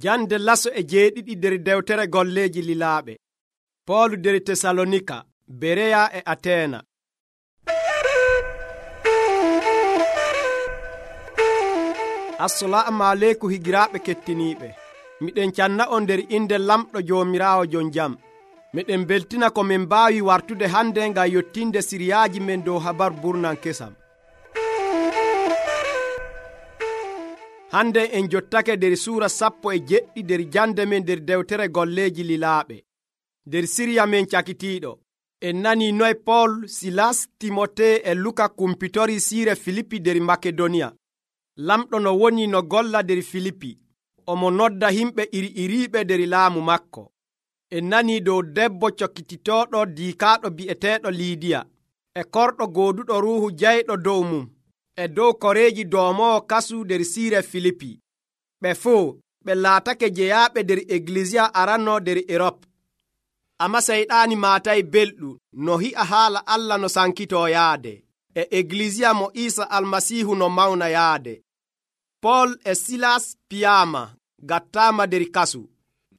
Jande laso e jeeɗiɗi nder dewtere golleeji lilaaɓe. Poolu nder Tesalonika, Bereya e Ateena. Assalaamu aleykum higiraaɓe kettiniiɓe. Miɗen canna on nder inde lamɗo Joomiraawo jon jam. Miɗen beltina ko min mbaawi wartude hande ngam yottinde siriyaaji men dow habaru burnan kesam. Hande en jottake nder suura 17 nder jande men nder dewtere golleeji lilaaɓe. Nder siriya men cakitiiɗo, en nani noy Pool, Silas, Timote e Luka kumpitori siire Filipi nder Makedoniya. Lamɗo no woni no golla nder Filipi, omo nodda himɓe iri-iriiɓe nder laamu makko. En nani dow debbo cokkititooɗo diikaaɗo bi'eteeɗo Liidiya, e korɗo gooduɗo ruuhu jayɗo dow mum, e dow koreeji doomowo kasu nder siire Filipi. Ɓe fuu ɓe laatake jeyaaɓe nder Eglisiya aranno nder Erop. Amma seyɗaani maatay belɗum no hi'a haala Allah no sankitoo yaade, e Eglisiya mo Iisa Almasiihu no mawna yaade. Pool e Silas piyaama gattaama nder kasu.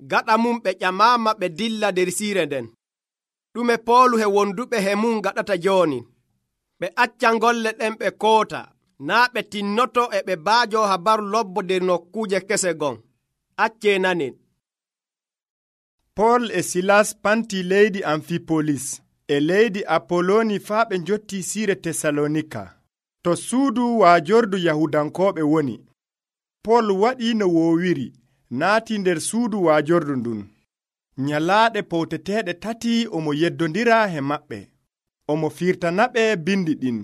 Gaɗa mum ɓe ƴamaama ɓe dilla nder siire nden. Ɗume Poolu he wonduɓe he mum gaɗata jooni? Ɓe accan golle ɗen ɓe koota, naa ɓe tinnoto e ɓe baajo habaru lobbo nder nokkuuje kese gon. Accee nanen. Pool e Silas panti leydi Amfipolis e leydi Apoloni faa ɓe njotti siire Tesalonika, to suudu waajordu Yahudankooɓe woni. Pool waɗi no woowiri, naati nder suudu waajordu ndun. Nyalaaɗe powteteeɗe tati omo yeddondira he maɓɓe. Omo firtanaɓe bindi ɗin.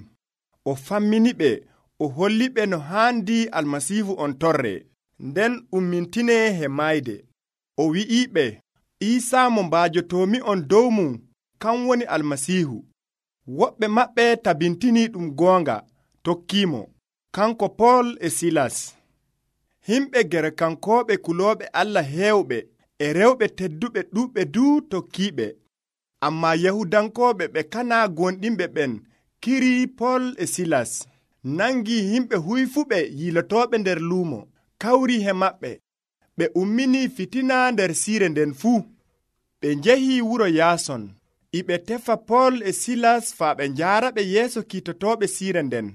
O famminiɓe, o holliɓe no haandi Almasiihu on torre, nden ummintine he mayde. O wi'iɓe, Iisaa mo mbaajotoomi on dow mum, kan woni Almasiihu. Woɓɓe maɓɓe tabintini ɗum goonga, tokkiimo, kanko Pool e Silas. Himɓe Gerekankooɓe kulooɓe Allah heewɓe e rewɓe tedduɓe ɗuuɓɓe duu tokkiiɓe. Ammaa Yahudankooɓe ɓe kanaa gonɗinɓe ɓen kirii Pool e Silas, nangii himɓe huyfuɓe yilotooɓe nder luumo, kawrii he maɓɓe. Ɓe umminii fitina nder siire nden fuu. Ɓe njehii wuro Yaason, ɓe tefa Pool e Silas faa ɓe njaaraɓe yeeso kiitotooɓe siire nden.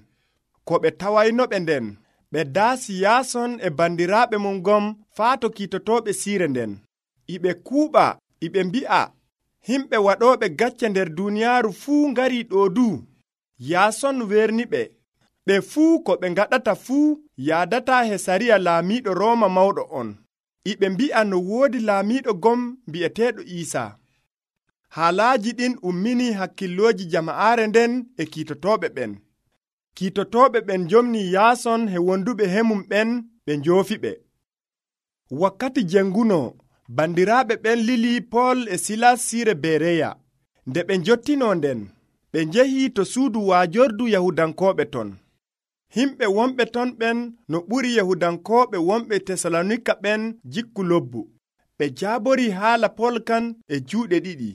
Ko ɓe tawaynoɓe nden, ɓe daasi Yaason e bandiraaɓe mum gom faa to kiitotooɓe siire nden. Ɓe kuuɓa, ɓe mbi'a, himɓe waɗooɓe gacce nder duuniyaaru fuu ngarii ɗoo duu. Yaason werniɓe, ɓe fuu ko ɓe ngaɗata fuu yaadataa he sariya laamiiɗo Rooma mawɗo on. Ɓe mbi'a no woodi laamiiɗo gom bi'eteeɗo Iisaa. Haalaaji ɗin umminii hakkillooji jama'aare nden e kiitotooɓe ɓen. Kiitotooɓe ɓen njomnii Yaason he wonduɓe hemum ɓen ɓe njoofiɓe. Wakkati jengunoo, bandiraaɓe ɓen lilii Pool e Silas siire Bereya. Nde ɓe njottinoo nden, ɓe njehii to suudu waajordu Yahudankooɓe ton. Himɓe wonɓe ton ɓen no ɓuri Yahudankooɓe wonɓe Tesalonika ɓen jikku lobbu. Ɓe jaaborii haala Pool kan e juuɗe ɗiɗi.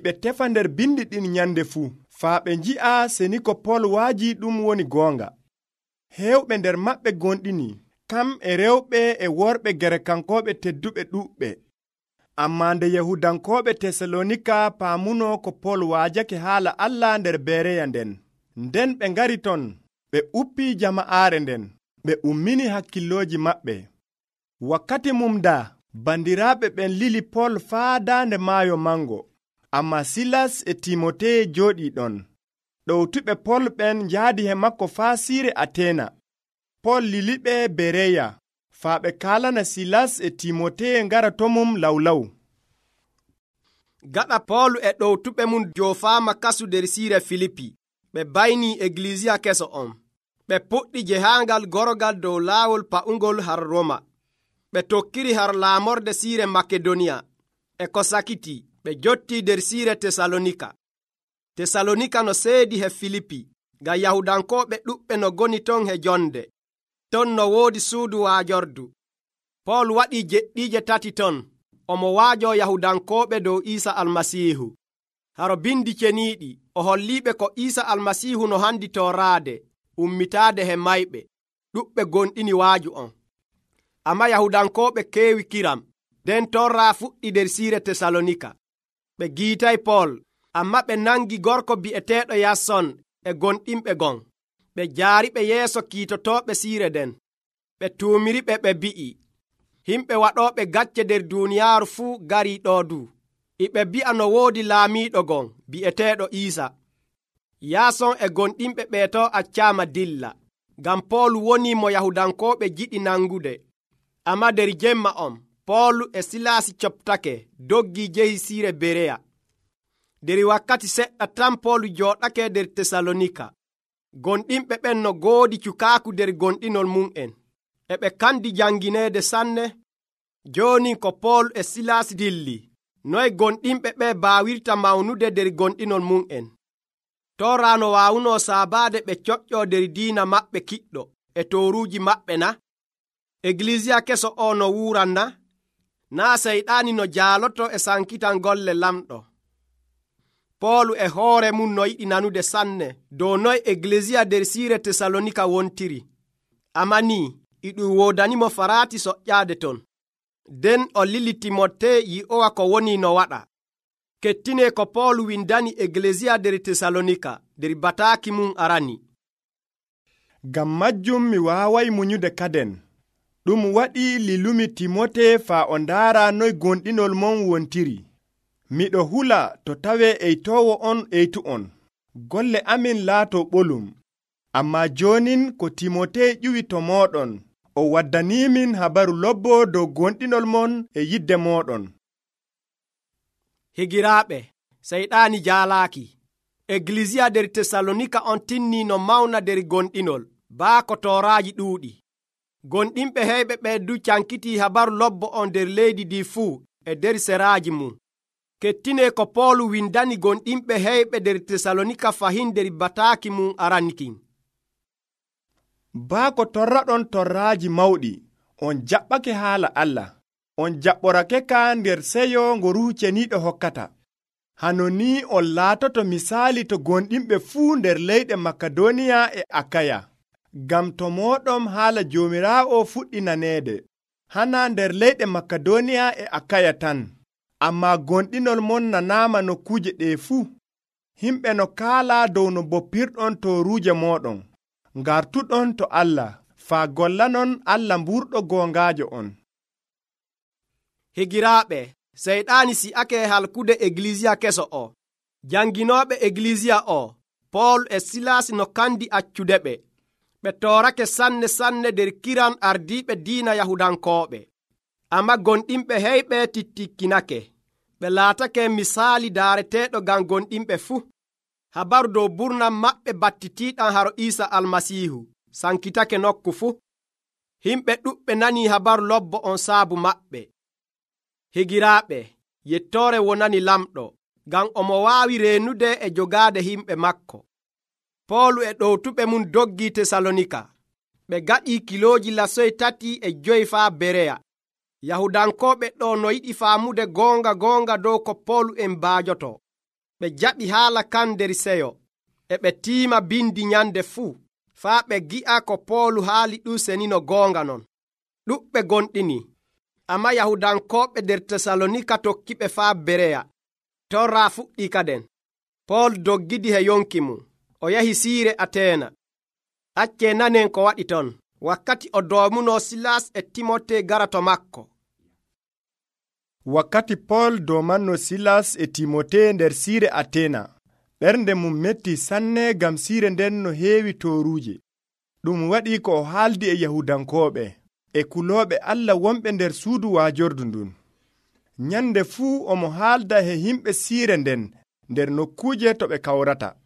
Ɓe tefa nder bindi ɗin nyande fuu, faa ɓe nji'a seni ko Pool waajii ɗum woni goonga. Heewɓe nder maɓɓe gonɗini, kam e rewɓe e worɓe Gerekankooɓe tedduɓe ɗuuɓɓe. Ammaa nde Yahudankooɓe Tesalonika paamunoo ko Pool waajake haala Allah nder Bereya nden, nden ɓe ngari ton, ɓe uppii jama'aare nden, ɓe ummini hakkillooji maɓɓe. Wakkati mum daa, bandiraaɓe ɓen lili Pool faa daande maayo mango, ammaa Silas e Timote jooɗii ɗon. Ɗowtuɓe Pool ɓen njaadi he makko faa siire Ateena. Pool liliɓe Bereya, faa ɓe kaalana Silas e Timote ngara to mum lawlaw. Gaɗa Poolu e ɗowtuɓe mum joofaama kasu nder siire Filipi, ɓe baynii Eglisiya keso on. Ɓe puɗɗi jehaangal gorogal dow laawol pa'ungol har Roma. Ɓe tokkiri har laamorde siire Makedoniya. E ko sakiti, ɓe jottii nder siire Tesalonika. Tesalonika no seedi he Filipi, ngam Yahudankooɓe ɗuɓɓe no goni ton he jonde. Ton no woodi suudu waajordu. Pool waɗii jeɗɗiije 3 ton, omo waajoo Yahudankooɓe dow Iisa Almasiihu. Haro bindi ceniiɗi, o holliiɓe ko Iisa Almasiihu no handi tooraade, ummitaade he mayɓe. Ɗuɓɓe gonɗini waaju on. Amma Yahudankooɓe keewi kiram. Nden torra fuɗɗi nder siire Tesalonika. Ɓe giitay Pool, amma ɓe nangi gorko bi'eteeɗo Yason e gonɗinɓe gon. Ɓe jaariɓe yeeso kiitotooɓe siire nden. Ɓe tuumiriɓe ɓe mbi'i, himɓe waɗooɓe gacce nder duuniyaaru fuu garii ɗoo du. Iɓe mbi'a no woodi laamiiɗo gon bi'eteeɗo Iisa. Yaason e gonɗinɓe ɓeeto accaama dilla, ngam Pool woni mo Yahudankooɓe jiɗi nangude. Amma nder jemma on, Pool e Silaasi coɓtake doggii jehi siire Bereya. Nder wakkati seɗɗa tan Pool jooɗake nder Tesalonika. Gonɗinɓe ɓen no goodi cukaaku nder gonɗinol mum'en. E ɓe kandi jangineede sanne. Jooni ko Pool e Silaasi dilli, noye gonɗinɓe ɓe baawirta mawnude nder gonɗinol mum'en. Toraa no waawunoo saabaade ɓe coƴƴoo nder diina maɓɓe kiɗɗo e tooruuji maɓɓe na? Egilisiya keso o no wuuran na? Naa seyɗaani no jaaloto e sankitan golle lamɗo. Poolu e hoore mum no yiɗi nanude sanne dow noye Egilisiya nder siire Tesalonika wontiri. Amma nii e ɗum woodanimo faraati soƴƴaade ton. Nden o lili Timote yi'owa ko woni no waɗa. Kettinee ko Poolu windani Egilisiya nder Tesalonika nder bataaki mum arani. Ngam majjum mi waaway munyude kaden. Ɗum waɗi lilumi Timote faa o ndaara noy gonɗinol mon wontiri. Miɗo hula to tawee eytoowo on eytu on. Golle amin laato ɓolum. Amma joonin ko Timote ƴuwi to mooɗon, o waddaniimin habaru lobbo dow gonɗinol mon e yidde mooɗon. Higiraaɓe, seyɗaani jaalaaki. Egilisiya nder Tesalonika on tinnii no mawna nder gonɗinol, baako tooraaji ɗuuɗi. Gonɗinɓe heyɓe ɓeedu cankitii habaru lobbo on nder leydi ndi fuu e nder seraaji mum. Kettinee ko Poolu windani gonɗinɓe heyɓe nder Tesalonika fahin nder bataaki mum aranikin. Baako torraɗon torraaji mawɗi, on jaɓɓake haala Allah. On jaɓɓorake ka nder seyo ngo Ruuhu Ceniiɗo hokkata. Hano ni on laatoto misaali to gonɗinɓe fuu nder leyɗe Makedoniya e Akaya. Ngam to mooɗon haala Joomiraawo fuɗɗi naneede, hana nder leyɗe Makedoniya e Akaya tan. Amma gonɗinol mon nanaama nokkuuje ɗee fuu. Himɓe no kaala dow no boppirɗon tooruuje mooɗon. Ngartuɗon to Allah, faa gollanon Allah mburɗo goongaajo on. Higiraaɓe, seyɗaani si'ake halkude Egilisiya keso o. Janginooɓe Egilisiya o, Pool e Silaasi no kandi accude ɓe. Ɓe toorake sanne sanne nder kiran ardiiɓe diina Yahudankooɓe. Amma gonɗinɓe heyɓe tittikkinake. Ɓe laatake misaali daareteeɗo ngam gonɗinɓe fuu. Habaru dow burnam maɓɓe battitiiɗam haro Iisa Almasiihu sankitake nokku fuu. Himɓe ɗuɓɓe nanii habaru lobbo on saabu maɓɓe. Higiraaɓe, yettoore wonani lamɗo, ngam omo waawi reenude e jogaade himɓe makko. Poolu e ɗowtuɓe mum doggii Tesalonika. Ɓe gaɗii kilooji lasoy 3 faa Bereya. Yahudankooɓe ɗo no yiɗi faamude goonga dow ko Poolu en mbaajoto. Ɓe jaɓi haala kan nder seyo, e ɓe tiima bindi nyande fuu, faa ɓe gi'a ko Poolu haali ɗum senino goonga non. Ɗuɓɓe gonɗini, amma Yahudankooɓe nder Tesalonika tokkiɓe faa Bereya. Torra fuɗɗi kaden. Pool doggidi he yonki mum. O yahi siire Ateena. Accee nanen ko waɗi ton, wakkati o doomunoo Silas e Timote gara to makko. Wakkati Pool doomanno Silas e Timote nder siire Ateena, ɓernde mum metti sanne ngam siire nden no heewi tooruuje. Ɗum waɗi ko o haaldi e Yahudankooɓe e kulooɓe Allah wonɓe nder suudu waajordu ndun. Nyande fuu omo haalda he himɓe siire nden nder nokkuuje to ɓe kawrata.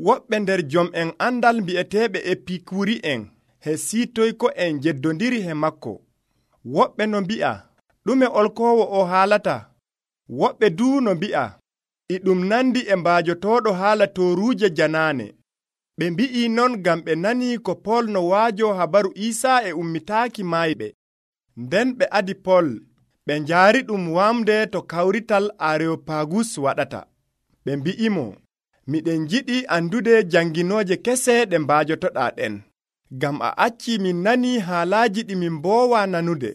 Woɓɓe nder jom'en andal mbi'eteeɓe Epikuri'en he siitoyko en jeddondiri he makko. Woɓɓe no mbi'a, ɗume olkoowo o haalata? Woɓɓe duu no mbi'a, e ɗum nandi e mbaajotooɗo haala tooruuje janaane. Ɓe mbi'i non ngam ɓe nanii ko Pool no waajo habaru Iisaa e ummitaaki maayɓe. Nden ɓe adi Pool, ɓe njaari ɗum waamde to kawrital Areopagus waɗata. Ɓe mbi'imo, miɗen jiɗi andude janginooje kese ɗe mbaajotoɗaa ɗen, ngam a acci min nani haalaaji ɗi min mboowa nanude.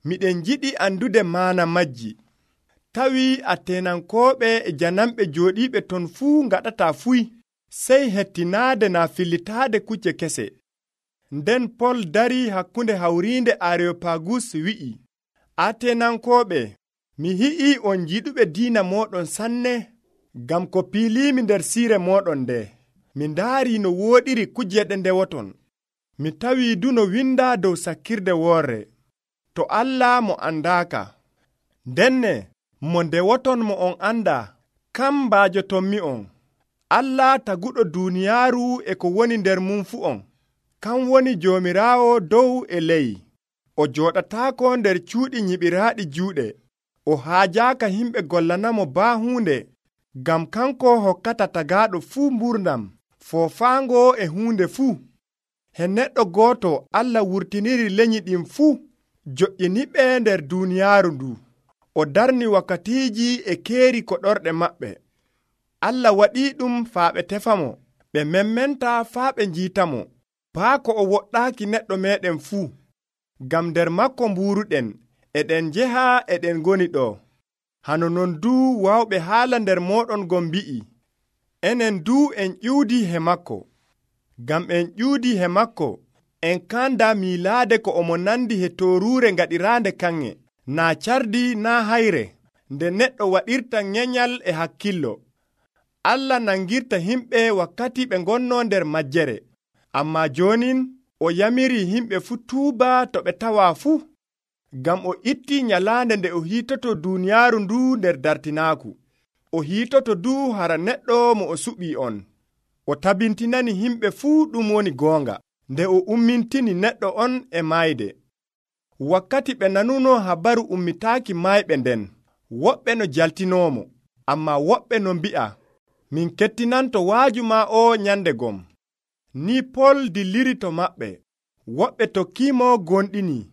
Miɗen jiɗi andude maana majji. Tawi Ateenankooɓe e janamɓe jooɗiiɓe ton fuu ngaɗataa fuy, sey hettinaade naa fillitaade kucce kese. Nden Pol darii hakkunde hawriinde Areyopagus wi'i, Ateenankooɓe, mi yi'ii on jiɗuɓe diina mooɗon sanne, ngam ko piiliimi nder siire mooɗon nde. Mi ndaarii no wooɗiri kujeɗe ndewoton. Mi tawii du no windaa dow sakkirde woorre. To Allah mo andaaka. Ndenne, mo ndewoton mo on andaa, kam mbaajotonmi on. Allah taguɗo duuniyaaru e ko woni nder mum fu on. Kam woni Joomiraawo dow e ley. O jooɗataako nder cuuɗi nyiɓiraaɗi juuɗe. O haajaaka himɓe gollanamo baahuunde, ngam kanko hokkata tagaaɗo fuu mburdam, foofaango e huunde fuu. He neɗɗo gooto Allah wurtiniri lenyi ɗin fuu, joƴƴiniɓe nder duuniyaaru ndu. O darni wakkatiiji e keeri koɗorɗe maɓɓe. Allah waɗii ɗum faa ɓe tefamo, ɓe memmenta faa ɓe njiitamo, baako o woɗɗaaki neɗɗo meeɗen fuu. Ngam nder makko mbuuruɗen, eɗen njeha eɗen ngoni ɗo. Hano non duu waawɓe haala nder mooɗon gon mbi'i, enen duu en ƴuudii he makko. Ngam en ƴuudii he makko, en kaanda miilaade ko omo nandi he tooruure ngaɗiraande kanŋe, naa cardi naa hayre, nde neɗɗo waɗirta nyenyal e hakkillo. Allah nangirta himɓe wakkati ɓe ngonnoo nder majjere. Ammaa joonin o yamiri himɓe fuu tuuba to ɓe tawaa fuu, ngam o ittii nyalaande nde o hiitoto duuniyaaru ndu nder dartinaaku. O hiitoto du hara neɗɗo mo o suɓii on. O tabintinani himɓe fuu ɗum woni goonga, nde o ummintini neɗɗo on e maayde. Wakkati ɓe nanuno habaru ummitaaki maayɓe nden, woɓɓe no jaltinoomo, ammaa woɓɓe no mbi'a, min kettinanto waaju maa o nyande gom. Ni Pol dilliri to maɓɓe, woɓɓe tokkiimo gonɗini.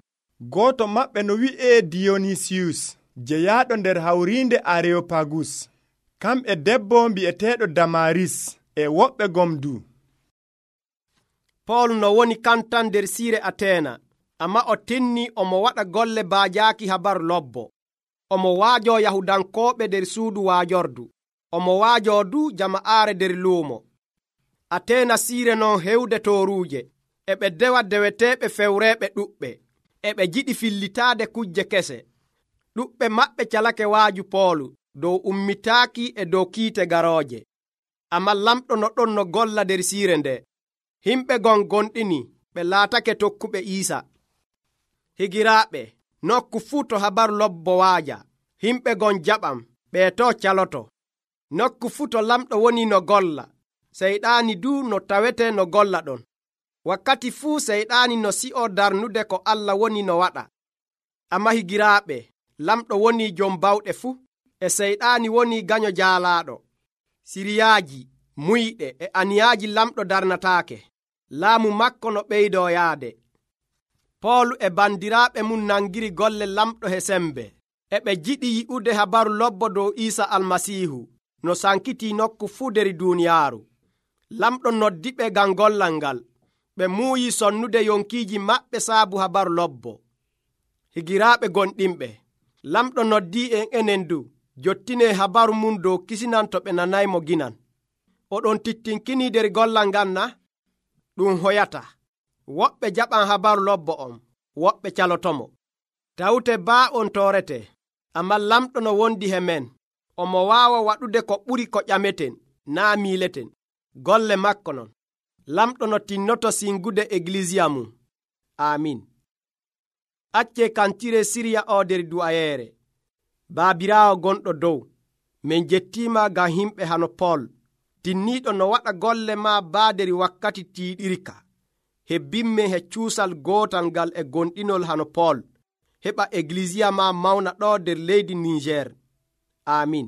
Gooto maɓɓe no wi'ee Diyonisiyus, jeyaaɗo nder hawriinde Areyopagus. Kamɓe debbo mbi'eteeɗo Damaris e woɓɓe gom du. Pol no woni kantan nder siire Ateena, ammaa o tinni omo waɗa golle baajaaki habaru lobbo. Omo waajo Yahudankooɓe nder suudu waajordu. Omo waajo du jama'aare nder luumo. Ateena siire non hewde tooruuje, e ɓe dewa deweteeɓe fewreeɓe ɗuɓɓe, e ɓe jiɗi fillitaade kujje kese. Ɗuɓɓe maɓɓe calake waaju Poolu dow ummitaaki e dow kiite garooje. Ammaa lamɗo no ɗon no golla nder siire nde. Himɓe gon gonɗini ɓe laatake tokkuɓe Iisa. Higiraaɓe, nokku fuu to habaru lobbo waaja, himɓe gon jaɓam, ɓe to caloto. Nokku fuu to lamɗo woni no golla, seyɗaani du no tawete no golla ɗon. Wakkati fuu seyɗaani no si'o darnude ko Allah woni no waɗa. Ammaa higiraaɓe, lamɗo woni jom bawɗe fuu, e seyɗaani woni gaño jaalaaɗo. Siriyaaji, muyɗe e aniyaaji lamɗo darnataake. Laamu makko no ɓeydoo yaade. Poolu e bandiraaɓe mum nangiri golle lamɗo he sembe, e ɓe jiɗi yi'ude habaru lobbo dow Iisa Almasiihu, no sankitii nokku fuu nder duuniyaaru. Lamɗo noddiɓe ngam gollal ngal. Ɓe muuyi sonnude yonkiiji maɓɓe saabu habaru lobbo. Higiraaɓe gonɗinɓe, lamɗo noddii en enen du, jottinee habaru mum dow kisinan to ɓe nanaymo ginan. Oɗon tittinkinii nder gollal ngal na? Ɗum hoyata. Woɓɓe jaɓan habaru lobbo on, woɓɓe calotomo. Tawte baa on toorete, ammaa lamɗo no wondi he men, omo waawa waɗude ko ɓuri ko ƴameten, naa miileten. Golle makko non. Lamɗo no tinnoto singude eglisiya mum. Amin. Accee kantire Siriya o nder du'ayeere. Baabiraawo gonɗo dow, min jettiima ngam himɓe hano Pol, tinniiɗo no waɗa golle maa baaderi wakkati tiiɗirka. Hebbinmen he cuusal gootal ngal e gonɗinol hano Pol, heɓa eglisiya maa mawna ɗo nder leydi Niger. Amin.